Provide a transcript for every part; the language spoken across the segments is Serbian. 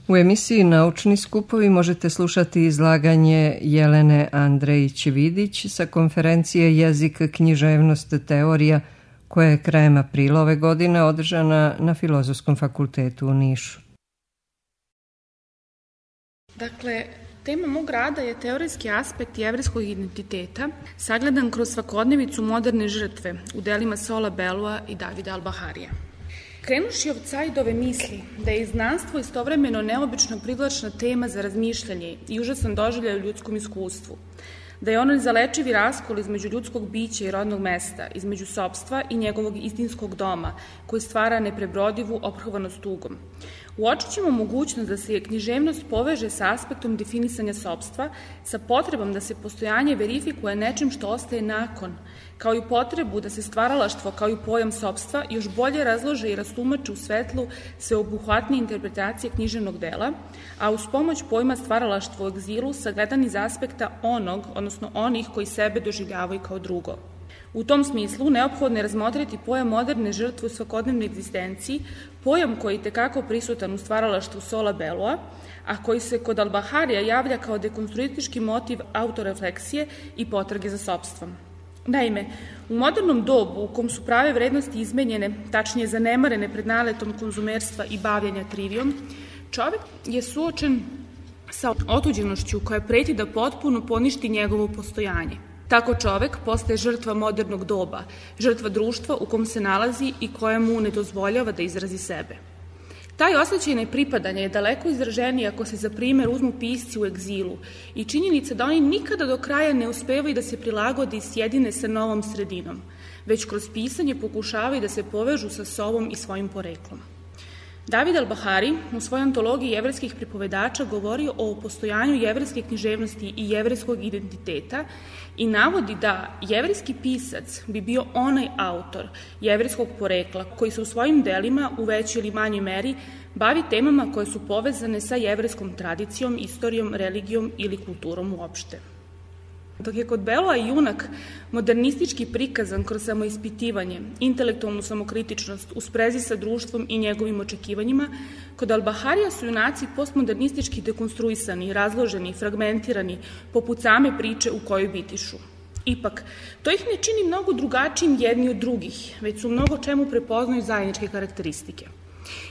U emisiji Naučni skupovi možete slušati izlaganje Jelene Andrejić-Vidić sa konferencije Jezik, književnost, teorija, koja je krajem aprila ove godine održana na Filozofskom fakultetu u Nišu. Dakle, tema mog rada je teorijski aspekt jevrejskog identiteta, sagledan kroz svakodnevicu moderne žrtve u delima Sola Belua i Davida Al-Baharija. Krenuši od Saidove misli da je znanstvo istovremeno neobično privlačna tema za razmišljanje i užasan doživljaj u ljudskom iskustvu, da je ono nezalečivi raskol između ljudskog bića i rodnog mesta, između sopstva i njegovog istinskog doma, koji stvara neprebrodivu ophrvanost tugom. Uočit ćemo mogućnost da se književnost poveže sa aspektom definisanja sopstva, sa potrebom da se postojanje verifikuje nečim što ostaje nakon, kao i potrebu da se stvaralaštvo kao i pojam sopstva još bolje razlože i rastumače u svetlu sveobuhvatnije interpretacije književnog dela, a uz pomoć pojma stvaralaštvo u egzilu sagledan iz aspekta onog, odnosno onih koji sebe doživljavaju kao drugo. U tom smislu neophodno je razmotriti pojam moderne žrtve u svakodnevnoj egzistenciji, pojam koji je tekako prisutan u stvaralaštvu Sola Belua, a koji se kod Al-Baharija javlja kao dekonstruistički motiv autorefleksije i potrage za sopstvom. Naime, u modernom dobu u kom su prave vrednosti izmenjene, tačnije zanemarene pred naletom konzumerstva i bavljenja trivijom, čovek je suočen sa otuđenošću koja preti da potpuno poništi njegovo postojanje. Tako čovek postaje žrtva modernog doba, žrtva društva u kom se nalazi i koje mu ne dozvoljava da izrazi sebe. Taj osjećaj nepripadanja je daleko izraženiji ako se za primer uzmu pisci u egzilu i činjenica da oni nikada do kraja ne uspevaju da se prilagode i sjedine sa novom sredinom, već kroz pisanje pokušavaju da se povežu sa sobom i svojim poreklom. David Al-Bahari u svojoj antologiji jevrejskih pripovedača govori o postojanju jevrejske književnosti i jevrejskog identiteta i navodi da jevrejski pisac bi bio onaj autor jevrejskog porekla koji se u svojim delima u većoj ili manjoj meri bavi temama koje su povezane sa jevrejskom tradicijom, istorijom, religijom ili kulturom uopšte. Dok je kod Belua junak modernistički prikazan kroz samoispitivanje, intelektualnu samokritičnost u sprezi sa društvom i njegovim očekivanjima, kod Al-Baharija su junaci postmodernistički dekonstruisani, razloženi, fragmentirani, poput same priče u kojoj bitišu. Ipak, to ih ne čini mnogo drugačijim jedni od drugih, već su mnogo čemu prepoznaju zajedničke karakteristike.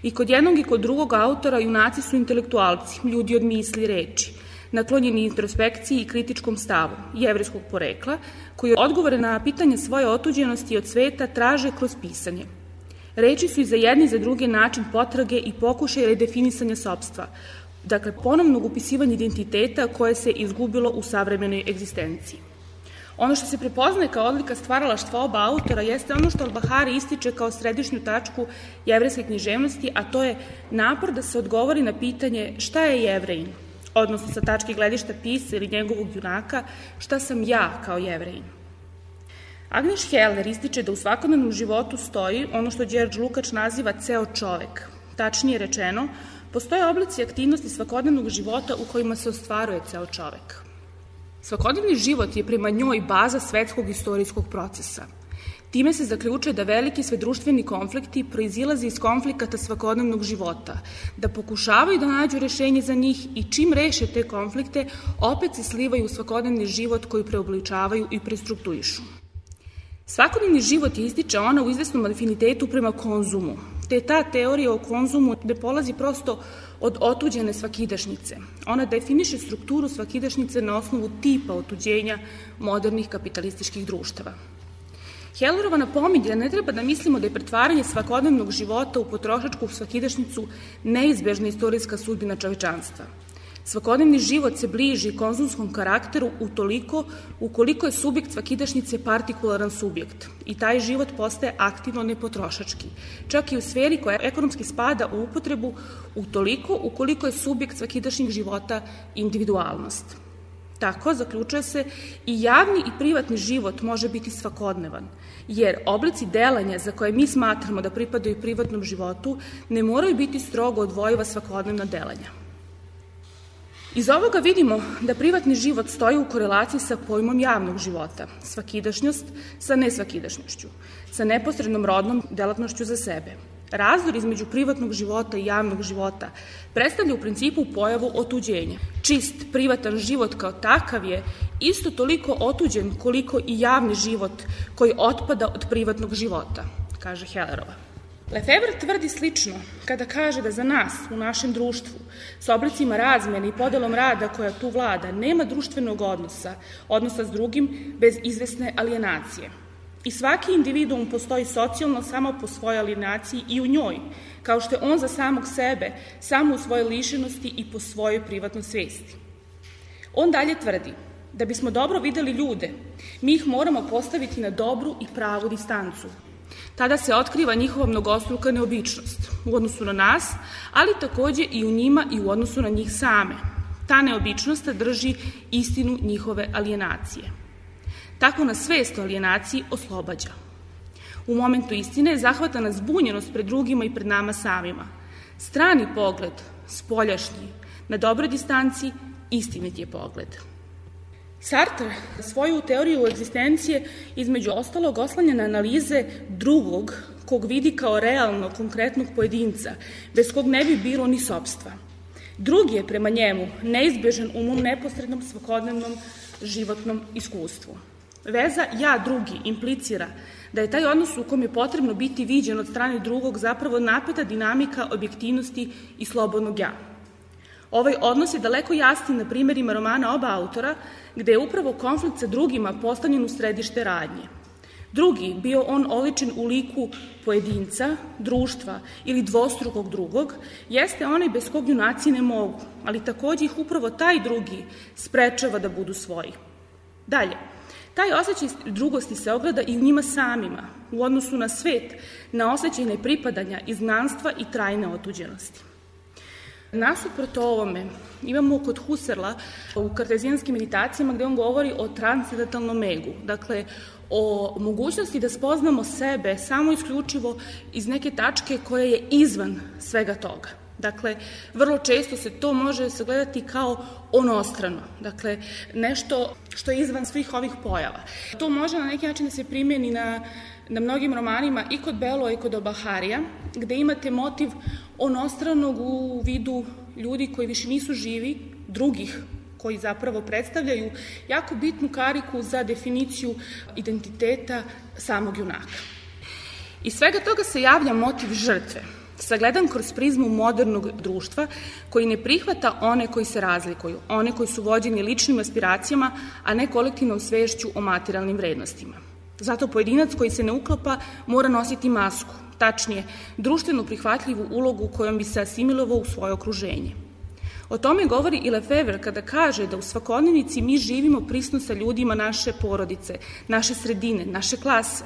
I kod jednog i kod drugog autora junaci su intelektualci, ljudi od misli i reči, naklonjeni introspekciji i kritičkom stavu jevrejskog porekla, koji odgovore na pitanje svoje otuđenosti od sveta traže kroz pisanje. Reči su i za jedni i za druge način potrage i pokušaj redefinisanja sopstva, dakle ponovnog upisivanja identiteta koje se izgubilo u savremenoj egzistenciji. Ono što se prepoznaje kao odlika stvaralaštva oba autora jeste ono što Al-Bahari ističe kao središnju tačku jevrejske književnosti, a to je napor da se odgovori na pitanje šta je Jevrejin, odnosno sa tačke gledišta pisca ili njegovog junaka, šta sam ja kao Jevrejin. Agnes Heller ističe da u svakodnevnom životu stoji ono što Đerđ Lukač naziva ceo čovek. Tačnije rečeno, postoje oblici aktivnosti svakodnevnog života u kojima se ostvaruje ceo čovek. Svakodnevni život je prema njoj baza svetskog istorijskog procesa. Time se zaključuje da veliki svedruštveni konflikti proizilaze iz konflikata svakodnevnog života, da pokušavaju da nađu rešenje za njih i čim reše te konflikte, opet se slivaju u svakodnevni život koji preobličavaju i prestruktuišu. Svakodnevni život je ističe ona u izvesnom afinitetu prema konzumu, te ta teorija o konzumu ne polazi prosto od otuđene svakidašnjice. Ona definiše strukturu svakidašnjice na osnovu tipa otuđenja modernih kapitalističkih društava. Hellerova napominje da ne treba da mislimo da je pretvaranje svakodnevnog života u potrošačku svakidašnjicu neizbežna istorijska sudbina čovečanstva. Svakodnevni život se bliži konzumskom karakteru ukoliko je subjekt svakidašnjice partikularan subjekt i taj život postaje aktivno nepotrošački, čak i u sferi koja ekonomski spada u upotrebu ukoliko je subjekt svakidašnjeg života individualnost. Tako, zaključuje se, i javni i privatni život može biti svakodnevan, jer oblici delanja za koje mi smatramo da pripadaju privatnom životu ne moraju biti strogo odvojiva svakodnevna delanja. Iz ovoga vidimo da privatni život stoji u korelaciji sa pojmom javnog života, svakidašnjost sa nesvakidašnjošću, sa neposrednom rodnom delatnošću za sebe. Razdor između privatnog života i javnog života predstavlja u principu pojavu otuđenja. Čist, privatan život kao takav je isto toliko otuđen koliko i javni život koji otpada od privatnog života, kaže Hellerova. Lefebvre tvrdi slično kada kaže da za nas u našem društvu s oblicima razmene i podelom rada koja tu vlada nema društvenog odnosa s drugim bez izvesne alienacije. I svaki individuum postoji socijalno samo po svojoj alijenaciji i u njoj, kao što je on za samog sebe, samo u svojoj lišenosti i po svojoj privatnoj svesti. On dalje tvrdi da bismo dobro videli ljude, mi ih moramo postaviti na dobru i pravu distancu. Tada se otkriva njihova mnogostruka neobičnost u odnosu na nas, ali takođe i u njima i u odnosu na njih same. Ta neobičnost drži istinu njihove alienacije. Tako nas svest o alijenaciji oslobađa. U momentu istine zahvata nas zbunjenost pred drugima i pred nama samima. Strani pogled, spoljašnji, na dobroj distanci, istinit je pogled. Sartre svoju teoriju egzistencije između ostalog oslanja na analize drugog, kog vidi kao realno, konkretnog pojedinca, bez kog ne bi bilo ni sopstva. Drugi je prema njemu neizbežan u mom neposrednom svakodnevnom životnom iskustvu. Veza ja-drugi implicira da je taj odnos u kom je potrebno biti viđen od strane drugog zapravo napeta dinamika objektivnosti i slobodnog ja. Ovaj odnos je daleko jasniji na primerima romana oba autora, gde je upravo konflikt sa drugima postavljen u središte radnje. Drugi, bio on oličen u liku pojedinca, društva ili dvostrukog drugog, jeste onaj bez kog junaci ne mogu, ali takođe ih upravo taj drugi sprečava da budu svoji. Dalje, taj osjećaj drugosti se ogleda i u njima samima, u odnosu na svet, na osjećaj nepripadanja, izgnanstva i trajne otuđenosti. Nasuprot ovome imamo kod Husserla u kartezijanskim meditacijama gde on govori o transcendentalnom egu, dakle o mogućnosti da spoznamo sebe samo isključivo iz neke tačke koja je izvan svega toga. Dakle, vrlo često se to može sagledati kao onostrano, dakle nešto što je izvan svih ovih pojava. To može na neki način da se primeni na mnogim romanima i kod Beloa i kod Obaharija, gde imate motiv onostranog u vidu ljudi koji više nisu živi, drugih koji zapravo predstavljaju jako bitnu kariku za definiciju identiteta samog junaka. Iz svega toga se javlja motiv žrtve, sagledan kroz prizmu modernog društva koji ne prihvata one koji se razlikuju, one koji su vođeni ličnim aspiracijama, a ne kolektivnom svešću o materijalnim vrednostima. Zato pojedinac koji se ne uklapa mora nositi masku, tačnije, društveno prihvatljivu ulogu kojom bi se asimilovao u svoje okruženje. O tome govori i Lefebvre kada kaže da u svakodnevnici mi živimo prisno sa ljudima naše porodice, naše sredine, naše klase.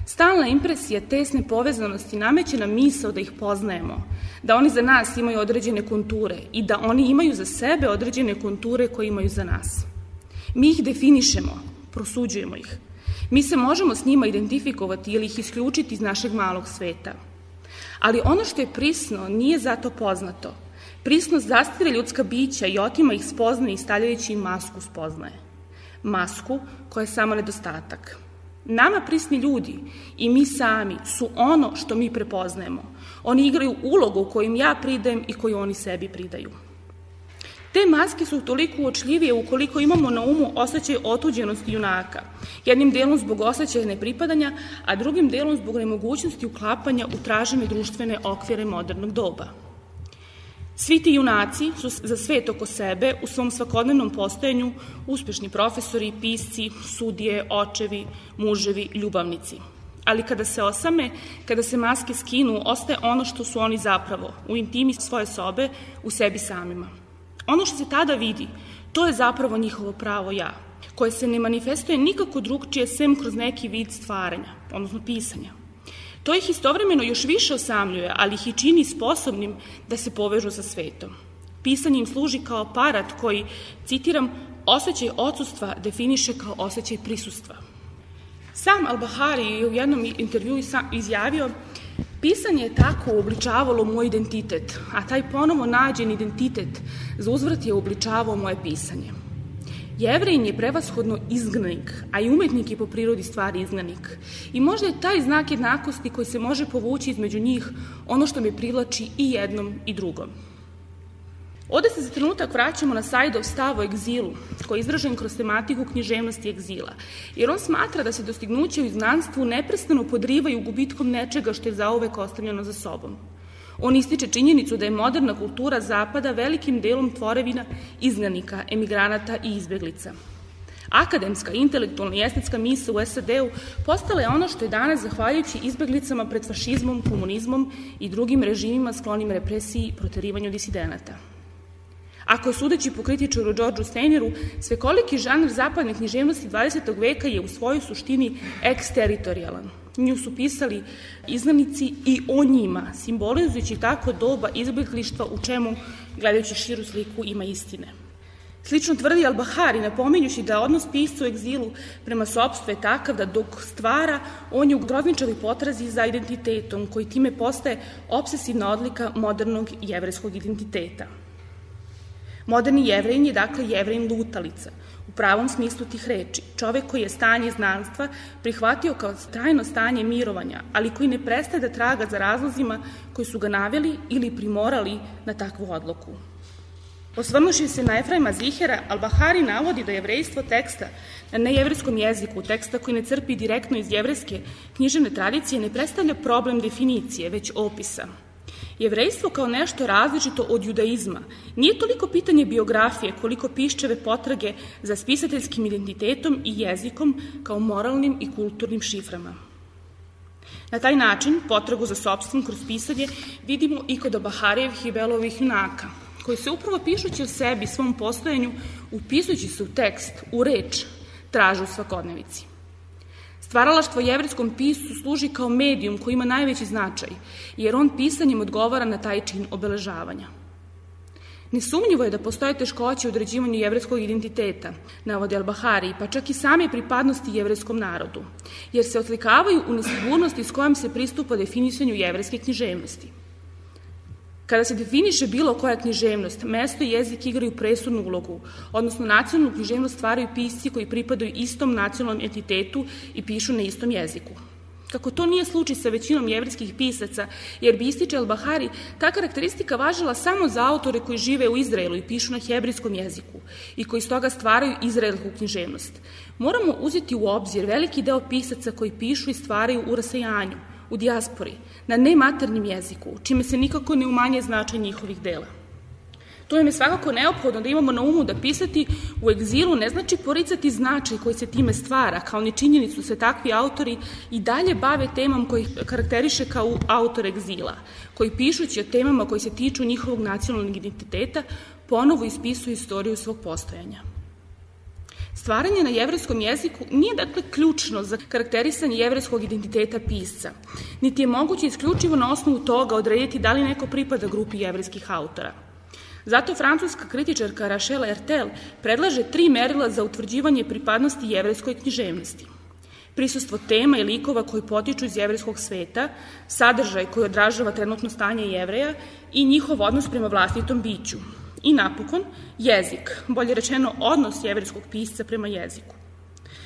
Stalna impresija tesne povezanosti nameće nam misao da ih poznajemo, da oni za nas imaju određene konture i da oni imaju za sebe određene konture koje imaju za nas. Mi ih definišemo, prosuđujemo ih. Mi se možemo s njima identifikovati ili ih isključiti iz našeg malog sveta. Ali ono što je prisno nije zato poznato. Prisnost zastire ljudska bića i otima ih spoznaje i stavljajući im masku spoznaje. Masku koja je samo nedostatak. Nama prisni ljudi i mi sami su ono što mi prepoznajemo. Oni igraju ulogu koju ja pridajem i koju oni sebi pridaju. Te maske su toliko uočljivije ukoliko imamo na umu osjećaj otuđenosti junaka, jednim delom zbog osjećaja nepripadanja, a drugim delom zbog nemogućnosti uklapanja u tražene društvene okvire modernog doba. Svi ti junaci su za svet oko sebe u svom svakodnevnom postojanju uspešni profesori, pisci, sudije, očevi, muževi, ljubavnici. Ali kada se osame, kada se maske skinu, ostaje ono što su oni zapravo, u intimi svoje sobe, u sebi samima. Ono što se tada vidi, to je zapravo njihovo pravo ja, koje se ne manifestuje nikako drugčije sem kroz neki vid stvaranja, odnosno pisanja. To ih istovremeno još više osamljuje, ali ih i čini sposobnim da se povežu sa svetom. Pisanje im služi kao aparat koji, citiram, osjećaj odsustva definiše kao osjećaj prisustva. Sam Al-Bahari je u jednom intervjuu izjavio: pisanje je tako uobličavalo moj identitet, a taj ponovo nađen identitet za uzvrat je uobličavao moje pisanje. Jevrejin je prevashodno izgnanik, a i umetnik je po prirodi stvari izgnanik. I možda je taj znak jednakosti koji se može povući između njih ono što me privlači i jednom i drugom. Ovde se za trenutak vraćamo na Saidov stav o egzilu, koji je izražen kroz tematiku književnosti egzila, jer on smatra da se dostignuće u izgnanstvu neprestano podrivaju gubitkom nečega što je zauvek ostavljeno za sobom. On ističe činjenicu da je moderna kultura Zapada velikim delom tvorevina izgnanika, emigranata i izbeglica. Akademska, intelektualna i estetska misao u SAD-u postala je ono što je danas zahvaljujući izbeglicama pred fašizmom, komunizmom i drugim režimima sklonim represiji i proterivanju disidenata. Ako je sudeći po kritičaru Georgeu Steineru, svekoliki žanr zapadne književnosti 20. veka je u svojoj suštini eksteritorijalan. Nju su pisali izgnanici i o njima, simbolizujući tako doba izbeglištva u čemu, gledajući širu sliku, ima istine. Slično tvrdi Al-Bahari, napominjući da odnos pisca u egzilu prema sopstvu je takav da dok stvara, on je u grozničavoj potrazi za identitetom, koji time postaje obsesivna odlika modernog jevrejskog identiteta. Moderni Jevrejin je dakle Jevrejin lutalica, u pravom smislu tih reči, čovek koji je stanje znanstva prihvatio kao trajno stanje mirovanja, ali koji ne prestaje da traga za razlozima koji su ga naveli ili primorali na takvu odluku. Osvrnuši se na Efraima Zihera, Al-Bahari navodi da jevrejstvo teksta na nejevrejskom jeziku, teksta koji ne crpi direktno iz jevrejske književne tradicije, ne predstavlja problem definicije, već opisa. Jevrejstvo kao nešto različito od judaizma nije toliko pitanje biografije koliko piščeve potrage za spisateljskim identitetom i jezikom kao moralnim i kulturnim šiframa. Na taj način potragu za sopstvom kroz pisanje vidimo i kod Al-Baharijevih i Belovih junaka, koji se upravo pišući o sebi, svom postojanju, upisujući se u tekst, u reč, traže u svakodnevici. Stvaralaštvo jevrejskom piscu služi kao medijum koji ima najveći značaj, jer on pisanjem odgovara na taj čin obeležavanja. Nesumnjivo je da postoje teškoće u određivanju jevrejskog identiteta, navode Al-Bahari, pa čak i same pripadnosti jevrejskom narodu, jer se oslikavaju u nesigurnosti s kojom se pristupa definisanju jevrejske književnosti. Kada se definiše bilo koja književnost, mesto i jezik igraju presudnu ulogu, odnosno nacionalnu književnost stvaraju pisci koji pripadaju istom nacionalnom entitetu i pišu na istom jeziku. Kako to nije slučaj sa većinom jevrejskih pisaca, jer bi, ističe Al-Bahari, ta karakteristika važila samo za autore koji žive u Izraelu i pišu na hebrejskom jeziku i koji stoga stvaraju izraelsku književnost. Moramo uzeti u obzir veliki deo pisaca koji pišu i stvaraju u rasejanju, u dijaspori, na nematernjem jeziku, čime se nikako ne umanje značaj njihovih dela. To im je svakako neophodno da imamo na umu da pisati u egzilu ne znači poricati značaj koji se time stvara, kao ni činjenicu se takvi autori i dalje bave temom koji karakteriše kao autor egzila, koji pišući o temama koji se tiču njihovog nacionalnog identiteta, ponovo ispisuju istoriju svog postojanja. Stvaranje na jevrejskom jeziku nije dakle ključno za karakterisanje jevrejskog identiteta pisca, niti je moguće isključivo na osnovu toga odrediti da li neko pripada grupi jevrejskih autora. Zato francuska kritičarka Rachel Hertel predlaže 3 merila za utvrđivanje pripadnosti jevrejskoj književnosti. Prisustvo tema i likova koji potiču iz jevrejskog sveta, sadržaj koji odražava trenutno stanje Jevreja i njihov odnos prema vlastitom biću. I napokon, jezik, bolje rečeno odnos jevrejskog pisca prema jeziku.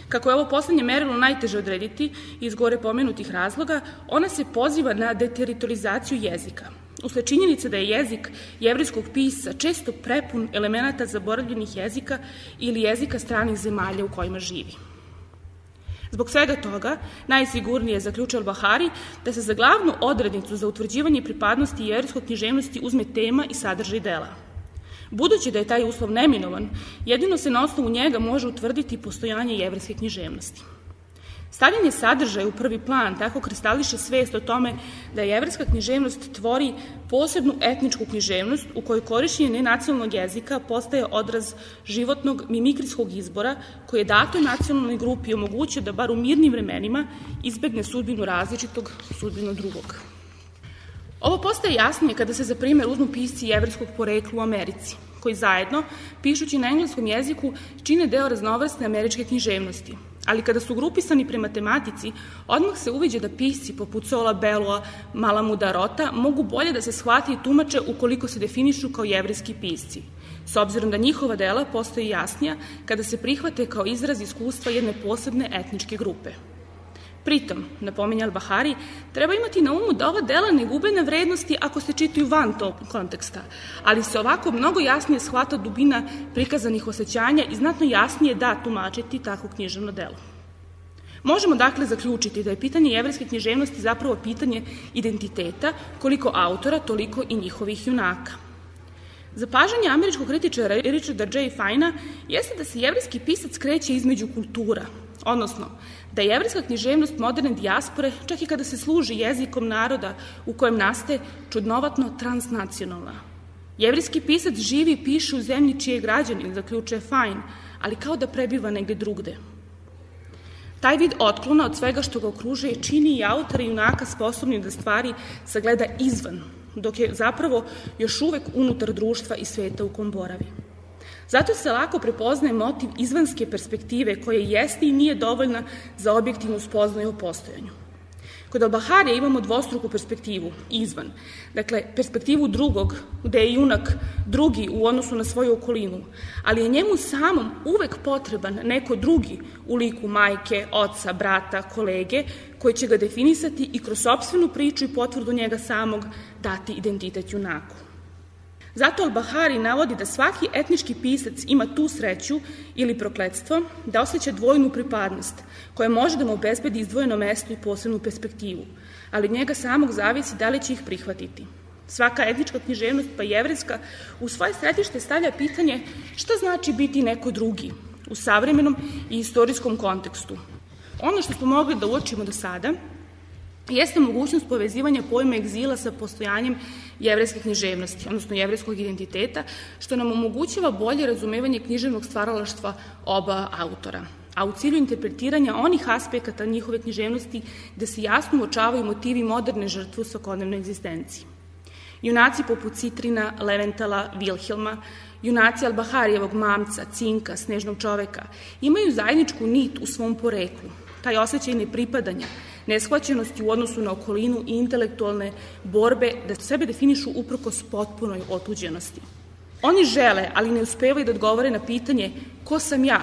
Kako je ovo poslednje merilo najteže odrediti iz gore pomenutih razloga, ona se poziva na deteritorizaciju jezika. Usled činjenice da je jezik jevrejskog pisca često prepun elemenata zaboravljenih jezika ili jezika stranih zemalja u kojima živi. Zbog svega toga, najsigurnije zaključio Al-Bahari da se za glavnu odrednicu za utvrđivanje pripadnosti jevrejskog književnosti uzme tema i sadržaj dela. Budući da je taj uslov neminovan, jedino se na osnovu njega može utvrditi postojanje jevrejske književnosti. Stavljanje sadržaja u prvi plan tako kristališe svest o tome da jevrejska književnost tvori posebnu etničku književnost u kojoj korišćenje nenacionalnog jezika postaje odraz životnog mimikrijskog izbora koji je datoj nacionalnoj grupi omogućio da bar u mirnim vremenima izbegne sudbinu različitog, sudbinu drugog. Ovo postaje jasnije kada se za primer uzmu pisci jevrejskog porekla u Americi, koji zajedno, pišući na engleskom jeziku, čine deo raznovrsne američke književnosti, ali kada su grupisani prema tematici, odmah se uviđa da pisci poput Sola Belloa, Malamuda Rota mogu bolje da se shvate i tumače ukoliko se definišu kao jevrijski pisci, s obzirom da njihova dela postaju jasnija kada se prihvate kao izraz iskustva jedne posebne etničke grupe. Pritom, napominje Al-Bahari, treba imati na umu da ova dela ne gube na vrednosti ako se čitaju van tog konteksta, ali se ovako mnogo jasnije shvata dubina prikazanih osjećanja i znatno jasnije da tumačiti takvo književno delo. Možemo dakle zaključiti da je pitanje jevrejske književnosti zapravo pitanje identiteta, koliko autora, toliko i njihovih junaka. Zapažanje američkog kritičara Richarda J. Fina jeste da se jevrejski pisac kreće između kultura, odnosno da je jevrejska književnost moderne dijaspore, čak i kada se služi jezikom naroda u kojem nastaje, čudnovatno transnacionalna. Jevrejski pisac živi i piše u zemlji čiji je građanin, zaključuje Fine, ali kao da prebiva negde drugde. Taj vid otklona od svega što ga okružuje čini i autora i junaka sposobnim da stvari sagleda izvan, dok je zapravo još uvek unutar društva i sveta u kom boravi. Zato se lako prepoznaje motiv izvanske perspektive koja jeste i nije dovoljna za objektivnu spoznaju o postojanju. Kod Al-Baharija imamo dvostruku perspektivu, izvan. Dakle, perspektivu drugog, gde je junak drugi u odnosu na svoju okolinu, ali je njemu samom uvek potreban neko drugi u liku majke, oca, brata, kolege, koji će ga definisati i kroz sopstvenu priču i potvrdu njega samog dati identitet junaku. Zato Al-Bahari navodi da svaki etnički pisac ima tu sreću ili prokletstvo da osjeća dvojnu pripadnost, koja može da mu obezbedi izdvojeno mesto i posebnu perspektivu, ali od njega samog zavisi da li će ih prihvatiti. Svaka etnička književnost, pa jevrejska, u svoje središte stavlja pitanje šta znači biti neko drugi u savremenom i istorijskom kontekstu. Ono što smo mogli da uočimo do sada jeste mogućnost povezivanja pojma egzila sa postojanjem jevrejske književnosti, odnosno jevrejskog identiteta, što nam omogućava bolje razumevanje književnog stvaralaštva oba autora, a u cilju interpretiranja onih aspekata njihove književnosti gde se jasno uočavaju motivi moderne žrtve u svakodnevnoj egzistenciji. Junaci poput Citrina, Leventala, Vilhelma, junaci Al-Baharijevog mamca, Cinka, Snežnog čoveka, imaju zajedničku nit u svom poreklu, taj osjećaj nepripadanja, neshvaćenosti u odnosu na okolinu i intelektualne borbe da sebe definišu uprkos potpunoj otuđenosti. Oni žele, ali ne uspevaju da odgovore na pitanje ko sam ja,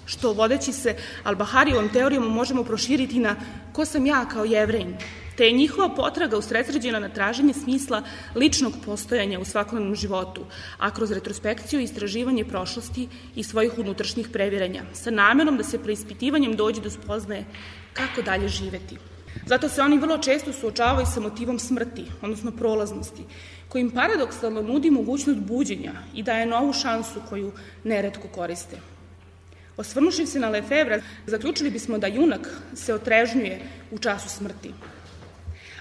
što vodeći se Al-Baharijevom teorijom možemo proširiti na ko sam ja kao Jevrejin, te je njihova potraga usredsređena na traženje smisla ličnog postojanja u svakodnevnom životu, a kroz retrospekciju i istraživanje prošlosti i svojih unutrašnjih previranja, sa namerom da se preispitivanjem dođe do spoznaje kako dalje živeti. Zato se oni vrlo često suočavaju sa motivom smrti, odnosno prolaznosti, koji im paradoksalno nudi mogućnost buđenja i daje novu šansu koju neretko koriste. Osvrnuši se na Lefevra, zaključili bismo da junak se otrežnjuje u času smrti.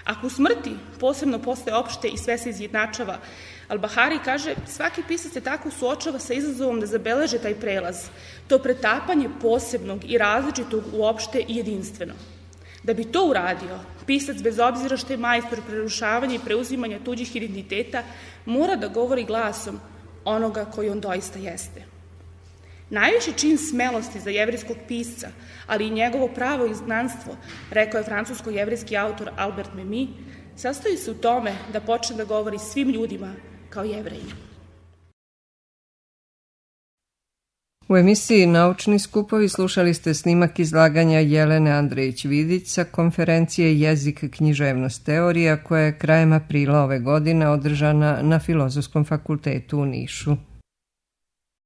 Ako u smrti posebno postaje opšte i sve se izjednačava, Al-Bahari kaže svaki pisac se tako suočava sa izazovom da zabeleže taj prelaz, to pretapanje posebnog i različitog u opšte i jedinstveno. Da bi to uradio, pisac, bez obzira što je majstor prerušavanja i preuzimanja tuđih identiteta, mora da govori glasom onoga koji on doista jeste. Najviši čin smelosti za jevrejskog pisca, ali i njegovo pravo izgnanstvo, rekao je francusko-jevrejski autor Albert Memmi, sastoji se u tome da počne da govori svim ljudima kao Jevreji. U emisiji Naučni skupovi slušali ste snimak izlaganja Jelene Andrejić-Vidić sa konferencije Jezik, književnost, teorija koja je krajem aprila ove godine održana na Filozofskom fakultetu u Nišu.